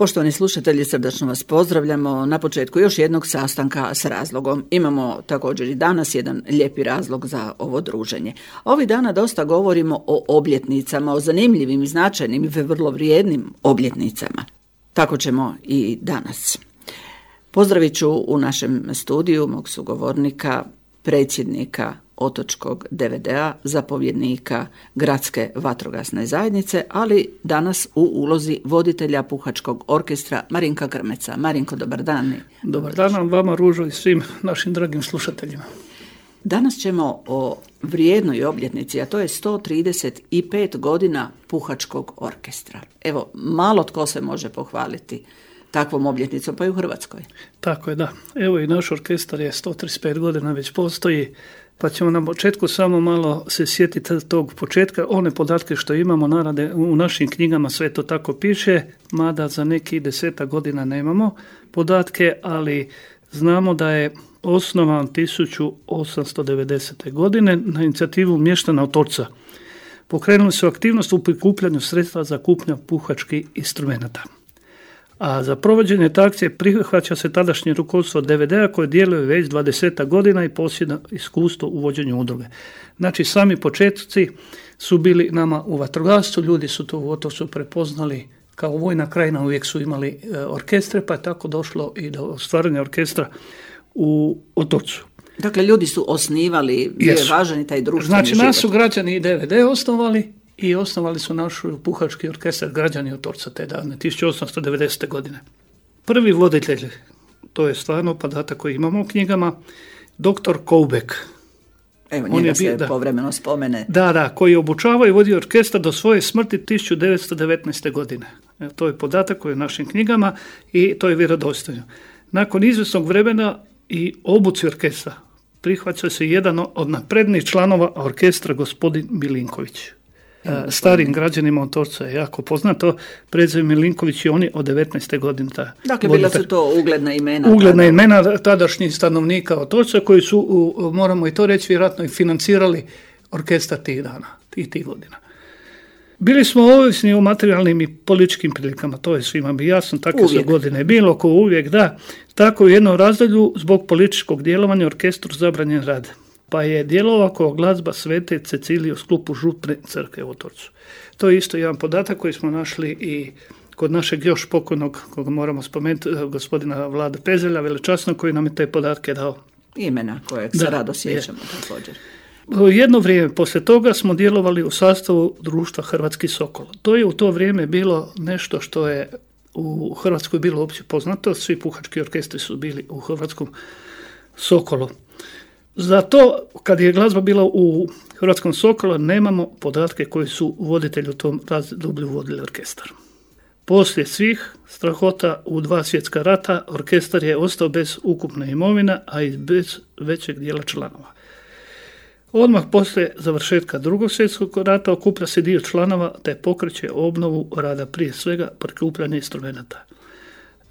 Poštovani slušatelji, srdačno vas pozdravljamo na početku još jednog sastanka s razlogom. Imamo također i danas jedan lijepi razlog za ovo druženje. Ovih dana dosta govorimo o obljetnicama, o zanimljivim i značajnim i vrlo vrijednim obljetnicama. Tako ćemo i danas. Pozdravit ću u našem studiju mog sugovornika, predsjednika Otočkog DVD-a, zapovjednika Gradske vatrogasne zajednice, ali danas u ulozi voditelja Puhačkog orkestra Marinka Grmeca. Marinko, dobar dan. Dobar dan vama, Ružo, i svim našim dragim slušateljima. Danas ćemo o vrijednoj obljetnici, a to je 135 godina Puhačkog orkestra. Evo, malo tko se može pohvaliti takvom obljetnicom, pa i u Hrvatskoj. Tako je, da. Evo i naš orkestar je 135 godina već postoji, pa ćemo na početku samo malo se sjetiti tog početka. One podatke što imamo narade u našim knjigama, sve to tako piše, mada za neki 10 godina nemamo podatke, ali znamo da je osnovan 1890. godine na inicijativu mještana Otočca. Pokrenuli su aktivnost u prikupljanju sredstva za kupnju puhačkih instrumenata. A za provođenje te akcije prihvaća se tadašnje rukovodstvo DVD-a koje djeluje već 20 godina i posjeduje iskustvo u vođenju udruge. Znači, sami početci su bili nama u vatrogastvu, ljudi su to u Otočcu prepoznali kao vojna krajina, uvijek su imali orkestre, pa je tako došlo i do stvaranja orkestra u Otočcu. Dakle, ljudi su osnivali, bio je važan i taj društveni znači, život. nas su građani i DVD osnovali i osnovali su naš Puhački orkestar građani Otočca te dane, 1890. godine. Prvi voditelj, to je stvarno podatak koji imamo u knjigama, dr. Koubek. Evo, njega se povremeno spomene. Da, koji je obučavao i vodio orkestar do svoje smrti 1919. godine. To je podatak koji je u našim knjigama i to je vjerodostojno. Nakon izvjesnog vremena i obuci orkestra prihvaća se jedan od naprednijih članova orkestra, gospodin Milinković. Starim građanima Otočca je jako poznato, prezime Milinković i oni od 19. godine. Dakle, bila su to ugledna imena. Ugledna imena tadašnjih stanovnika Otočca koji su, moramo i to reći, vjerojatno i financirali orkestar tih dana, tih godina. Bili smo ovisni o materijalnim i političkim prilikama, to je svima bi jasno, takve su godine bilo, ko uvijek, da. Tako u jednom razdoblju zbog političkog djelovanja orkestru zabranjen rad, pa je djelovao kao glazba Svete Cecilije u sklopu župne crkve u Otočcu. To je isto jedan podatak koji smo našli i kod našeg još pokojnog, koga moramo spomenuti, gospodina Vlada Pezelja, velečasnog, koji nam je te podatke dao. Imena kojeg se rado sjećamo također. Jedno vrijeme poslije toga smo djelovali u sastavu društva Hrvatski Sokol. To je u to vrijeme bilo nešto što je u Hrvatskoj bilo opće poznato. Svi puhački orkestri su bili u Hrvatskom Sokolu. Zato, kad je glazba bila u Hrvatskom Sokolu, nemamo podatke koji su voditelji u tom razdoblju vodili orkestar. Poslije svih strahota u 2 svjetska rata, orkestar je ostao bez ukupne imovina, a i bez većeg dijela članova. Odmah poslije završetka 2. svjetskog rata okuplja se dio članova te pokreće obnovu rada, prije svega prikupljanje instrumenata.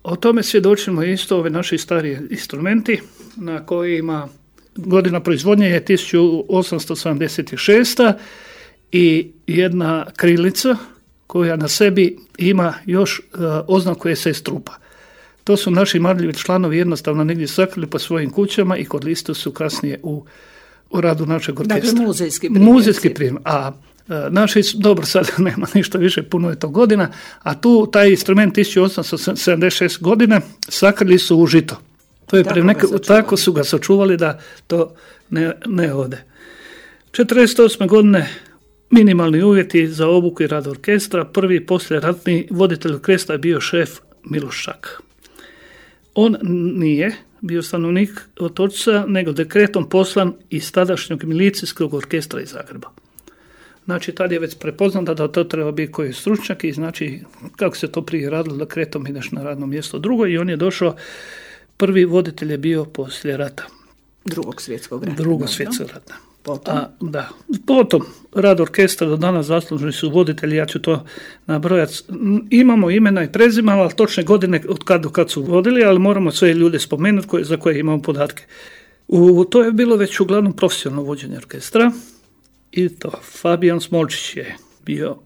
O tome svjedočimo isto ove naši stariji instrumenti na kojima godina proizvodnje je 1876. i jedna krilica koja na sebi ima još oznaku SS trupa. To su naši marljivi članovi jednostavno negdje sakrili po svojim kućama i kod listu su kasnije u radu našeg orkestra. Dakle, muzejski primjer. A naši, dobro, sad nema ništa više, puno je to godina, a tu taj instrument 1876 godine sakrili su u žito. To je tako su ga sačuvali da to ne ode. 48. godine minimalni uvjeti za obuku i rad orkestra. Prvi poslijeratni voditelj orkestra je bio šef Miloš Šak. On nije bio stanovnik Otočca, nego dekretom poslan iz tadašnjeg milicijskog orkestra iz Zagreba. Znači, tad je već prepoznato da to treba biti koji je stručnjak i znači, kako se to prije radilo, dekretom ideš na radno mjesto drugo i on je došao, prvi voditelj je bio poslije rata. Drugog svjetskog rata. Potom rad orkestra do danas zaslužni su voditelji, ja ću to nabrojati. Imamo imena i prezimena, ali točne godine od kad do kad su vodili, ali moramo sve ljude spomenuti za koje imamo podatke. To je bilo već uglavnom profesionalno vođenje orkestra i to Fabijan Smolčić je bio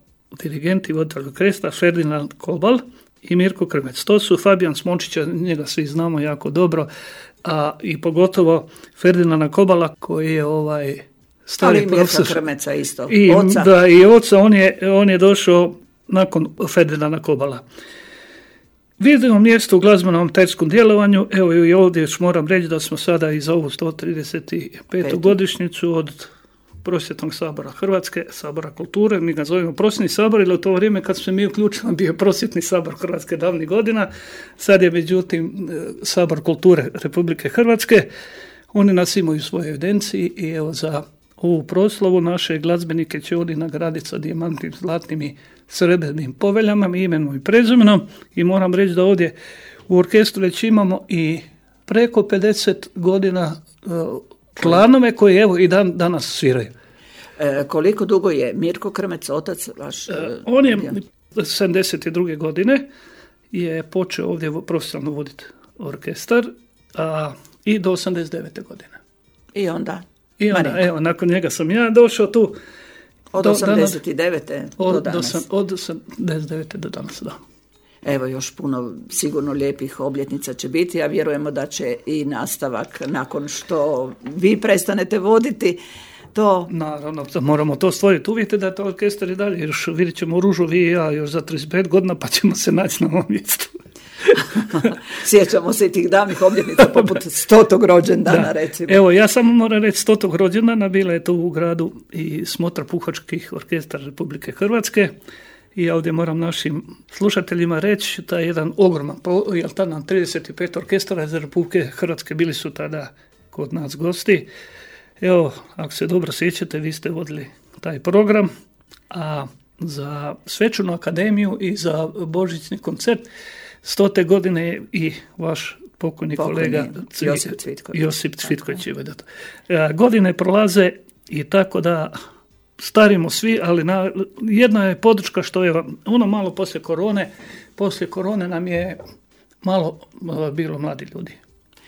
dirigent i voditelj orkestra, Ferdinand Kobal i Mirko Krmec. To su Fabijan Smončića, njega svi znamo jako dobro, a i pogotovo Ferdinanda Kobala koji je stari profesor. Mirka Krmeca isto, oca. Da, i oca, on je došao nakon Ferdinanda Kobala. Vidimo mjesto u glazbenom amaterskom djelovanju, evo i ovdje još moram reći da smo sada i za ovu 135. godišnjicu od Prosvjetnog sabora Hrvatske, sabora kulture, mi ga zovemo Prosvjetni sabor, jer u to vrijeme kad smo mi uključili bio Prosvjetni sabor Hrvatske davnih godina, sad je međutim sabor kulture Republike Hrvatske, oni nas imaju u svojoj evidenciji i evo za ovu proslavu naše glazbenike će oni nagraditi sa dijamantnim, zlatnim i srebrnim poveljama, imenom i prezimenom i moram reći da ovdje u orkestru već imamo i preko 50 godina članove koji evo i danas sviraju. Koliko dugo je Mirko Krmec, otac vaš? On je 72. godine je počeo ovdje profesionalno voditi orkestar i do 89. godine. I onda, evo, nakon njega sam ja došao tu. Od 89. do danas. Od 89. do danas, da. Evo još puno sigurno lijepih obljetnica će biti, a vjerujemo da će i nastavak nakon što vi prestanete voditi to. Naravno, moramo to stvoriti uvjete da to orkestar i dalje, još vidjet ćemo Ružu vi i ja još za 35 godina pa ćemo se naći na ovom mjestu. Sjećamo se i tih davnih obljetnica poput 100. rođendana recimo. Evo, ja samo moram reći 100. rođendana, bila je to u gradu i smotra puhačkih orkestara Republike Hrvatske i ja ovdje moram našim slušateljima reći da je jedan ogroman, jer tada nam 35 orkestara iz Republike Hrvatske bili su tada kod nas gosti. Evo, ako se dobro sjećate, vi ste vodili taj program, a za svečanu akademiju i za božićni koncert 100. godine i vaš pokojni kolega Josip Cvitković. Godine prolaze i tako da starimo svi, ali jedna je podrška što je ono malo poslije korone nam je malo bilo mladi ljudi.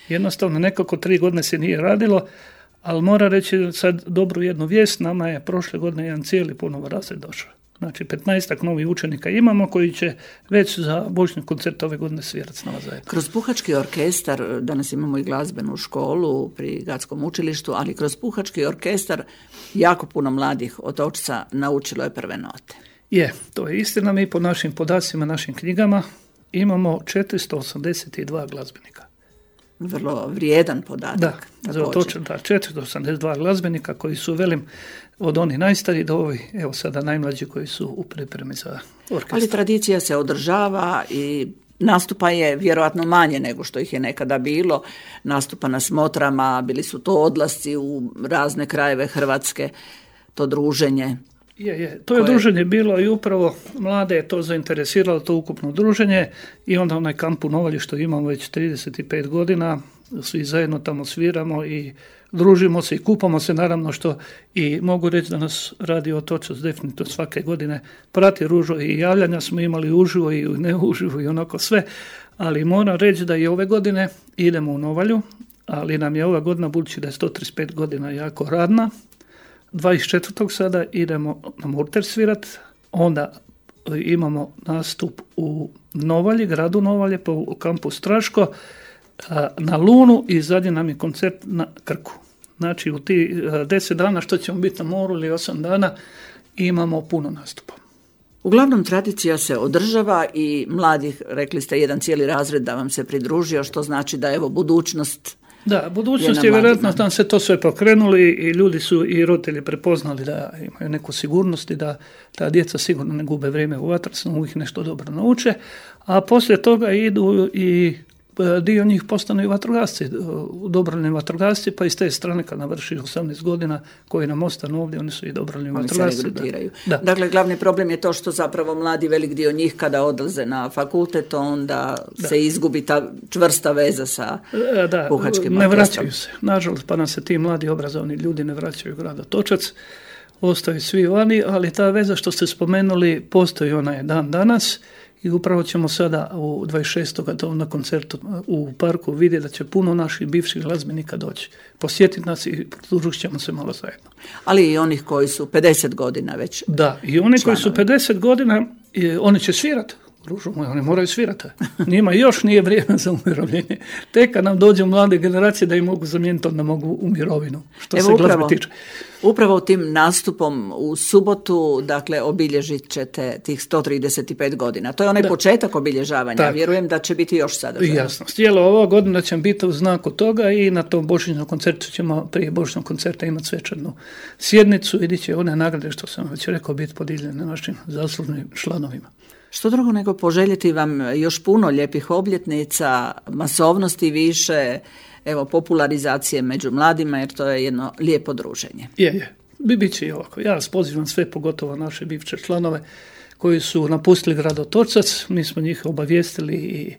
Jednostavno nekako 3 godine se nije radilo, ali moram reći sad dobru jednu vijest, nama je prošle godine jedan cijeli ponovo razred došao. Znači 15 novih učenika imamo koji će već za božićni koncert ove godine svirati s nama zajedno. Kroz puhački orkestar, danas imamo i glazbenu školu pri Gatskom učilištu, ali kroz puhački orkestar jako puno mladih otočca naučilo je prve note. To je istina, mi po našim podacima, našim knjigama imamo 482 glazbenika. Vrlo vrijedan podatak. Točno, 482 glazbenika koji su, velim, od onih najstariji do ovih, evo sada najmlađi koji su u pripremi za orkestar. Ali tradicija se održava i nastupa je vjerojatno manje nego što ih je nekada bilo. Nastupa na smotrama, bili su to odlasci u razne krajeve Hrvatske, to druženje. To je druženje bilo i upravo mlade je to zainteresiralo, to ukupno druženje i onda onaj kamp u Novalji što imamo već 35 godina, svi zajedno tamo sviramo i družimo se i kupamo se, naravno što i mogu reći da nas Radio Otočac definitivno svake godine prati Ružo i javljanja smo imali uživo i ne uživo i onako sve, ali moram reći da i ove godine idemo u Novalju, ali nam je ova godina, budući da je 135 godina jako radna, 24. sada idemo na Murter svirat, onda imamo nastup u Novalji, gradu Novalje, po kampu Straško, na Lunu i zadnji nam je koncert na Krku. Znači u ti 10 dana što ćemo biti na moru ili 8 dana imamo puno nastupa. Uglavnom tradicija se održava i mladih, rekli ste, jedan cijeli razred da vam se pridružio, što znači da evo budućnost. Da, budućnost je vjerojatno tam se to sve pokrenuli i ljudi su i roditelji prepoznali da imaju neku sigurnost i da ta djeca sigurno ne gube vrijeme u vatrogasnom, uvijek nešto dobro nauče, a poslije toga idu i dio njih postanu i vatrogasci, dobrovoljni vatrogasci, pa iz te strane kad navrši 18 godina koji nam ostanu ovdje, oni su i dobrovoljni vatrogasci. Se regrutiraju. Da. Dakle, glavni problem je to što zapravo mladi, velik dio njih kada odlaze na fakultet, onda se izgubi ta čvrsta veza sa puhačkim orkestrom. Ne vraćaju se. Nažalost, pa nam se ti mladi obrazovni ljudi ne vraćaju u grad Otočac, ostaju svi vani, ali ta veza što ste spomenuli postoji ona je dan danas. I upravo ćemo sada u 26. na koncertu u parku vidjeti da će puno naših bivših glazbenika doći. Posjetiti nas i pridružit ćemo se malo zajedno. Ali i onih koji su 50 godina već. Da, i oni koji su 50 godina, oni će svirati. Družu moj, oni moraju svirati. Njima još nije vrijeme za umirovljenje. Tek kad nam dođu mlade generacije da im mogu zamijeniti, onda mogu u mirovinu. Što se glazbe tiče. Upravo tim nastupom u subotu, dakle, obilježit ćete tih 135 godina. To je onaj početak obilježavanja. Tak. Vjerujem da će biti još sadržajno. Jasno. Cijela ova godina će biti u znaku toga i na tom božićnom koncertu ćemo prije božićnog koncerta imati svečanu sjednicu i će one nagrade, što sam već rekao, biti podijeljene našim zaslužnim članovima. Što drugo nego poželjeti vam još puno lijepih obljetnica, masovnosti više, evo, popularizacije među mladima, jer to je jedno lijepo druženje. Je. Bit će i ovako. Ja vas pozivam sve, pogotovo naše bivše članove koji su napustili grad Otočac. Mi smo njih obavijestili i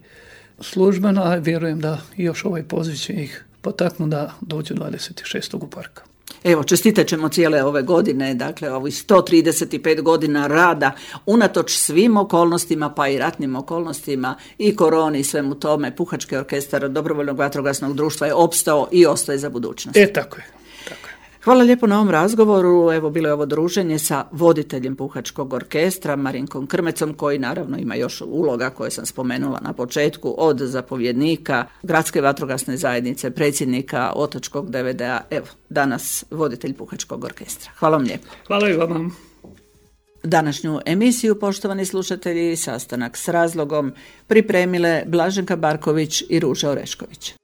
službeno, a vjerujem da još ovaj poziv će ih potaknuti da dođu 26. u park. Evo, čestitat ćemo cijele ove godine, dakle ovih 135 godina rada, unatoč svim okolnostima, pa i ratnim okolnostima i koroni i svemu tome, Puhački orkestar Dobrovoljnog vatrogasnog društva je opstao i ostaje za budućnost. Tako je. Hvala lijepo na ovom razgovoru. Evo, bilo je ovo druženje sa voditeljem Puhačkog orkestra Marinkom Krmecom, koji naravno ima još uloga koje sam spomenula na početku, od zapovjednika Gradske vatrogasne zajednice, predsjednika Otočkog DVD-a, evo, danas voditelj Puhačkog orkestra. Hvala vam lijepo. Hvala i vama. Današnju emisiju, poštovani slušatelji, sastanak s razlogom pripremile Blaženka Barković i Ruža Orešković.